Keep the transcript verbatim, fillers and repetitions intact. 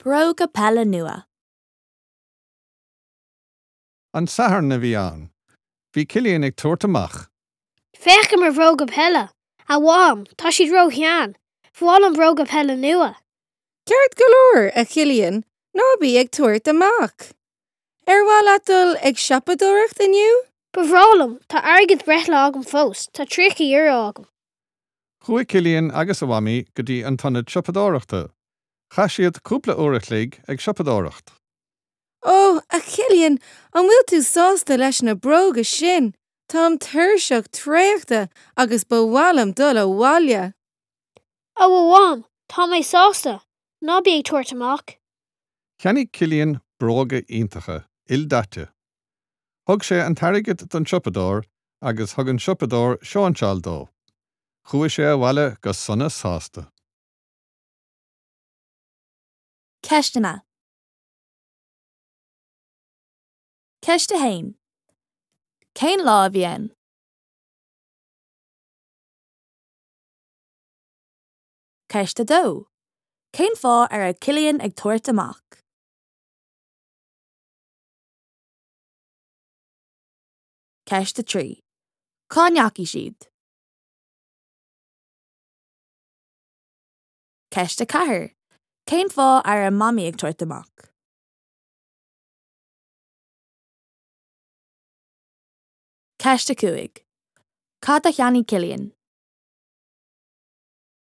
Bróga peile nua. An Satharn a bhí ann. Bhí Cillian ag tabhairt amach. Féach ar mo bhróga peile, a Mham, tá siad róshean, Ba mhaith liom bróga peile nua. Ceart go leor a Chillian ná bí ag tabhairt amach. Ar mhaith leat dul ag siopadóireacht inniu? Ba bhreá liom, tá airgead breithlá agam fós, tá tríocha euro agam. Chuaigh Cillian agus a mhamaí go dtí an t-ionad siopadóireachta. Chaith siad cúpla uair a chloig ag siopadóireacht. Ó, a Chillian, an bhfuil tú sásta leis na bróga sin, Táim tuirseach traochta agus ba mhaith liom dul abhaile. Ó a Mham, tá mé sásta, ná bí ag tabhairt amach. Cheannaigh Cillian bróga iontacha, ildaite. Thug sé an t-airgead don siopadóir agus thug an siopadóir sóinseáil dó. Chuaigh sé abhaile go sona sásta. Ceisteanna. Ceist a haon. Cén lá a bhí ann? Ceist a dó. Cén fáth a raibh Cillian ag tabhairt amach? Ceist a trí. Cá ndeachaigh siad? Ceist a ceathair. Cén fáth a raibh Mamaí ag tabhairt amach? Ceist a cúig. Cad a cheannaigh Cillian?